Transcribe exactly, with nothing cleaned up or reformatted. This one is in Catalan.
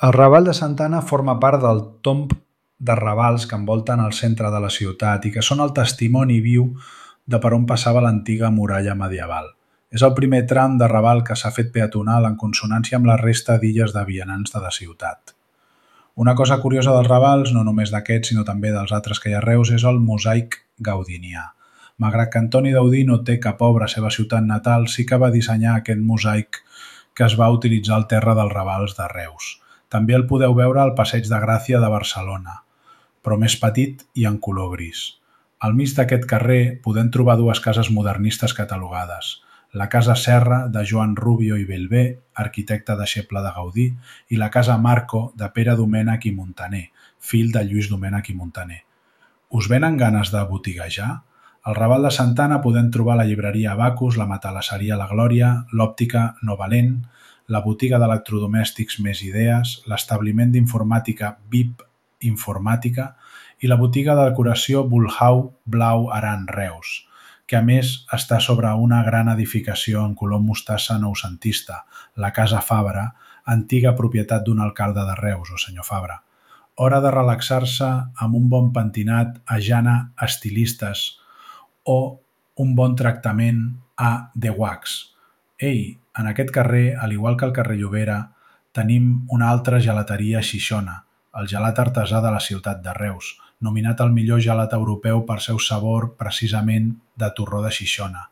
El Raval de Santa Anna forma part del tomb de ravals que envolten el centre de la ciutat i que són el testimoni viu de per on passava l'antiga muralla medieval. És el primer tram de Raval que s'ha fet peatonal en consonància amb la resta d'illes de vianants de la ciutat. Una cosa curiosa dels Ravals, no només d'aquests sinó també dels altres que hi ha a Reus, és el mosaic gaudinià. Malgrat que Antoni Gaudí no té cap obra a la seva ciutat natal, sí que va dissenyar aquest mosaic que es va utilitzar al terra dels Ravals de Reus. També el podeu veure al Passeig de Gràcia de Barcelona, però més petit i en color gris. Al mig d'aquest carrer podem trobar dues cases modernistes catalogades. La Casa Serra, de Joan Rubio i Bellver, arquitecte deixeble de Gaudí, i la Casa Marco, de Pere Domènech i Montaner, fill de Lluís Domènech i Montaner. Us venen ganes de botiguejar? Al Raval de Santa Anna podem trobar la llibreria Abacus, la matalasseria La Glòria, l'òptica Novalent, la botiga d'electrodomèstics Més Idees, l'establiment d'informàtica V I P Informàtica i la botiga de decoració Bulhau Blau Aran Reus, que a més està sobre una gran edificació en color mostassa noucentista, la Casa Fabra, antiga propietat d'un alcalde de Reus, o senyor Fabra. Hora de relaxar-se amb un bon pentinat a Jana Estilistes o un bon tractament a The Wax. Ei, en aquest carrer, al igual que al carrer Llobera, tenim una altra gelateria Xixona, el gelat artesà de la ciutat de Reus, nominat el millor gelat europeu per seu sabor precisament de torró de Xixona.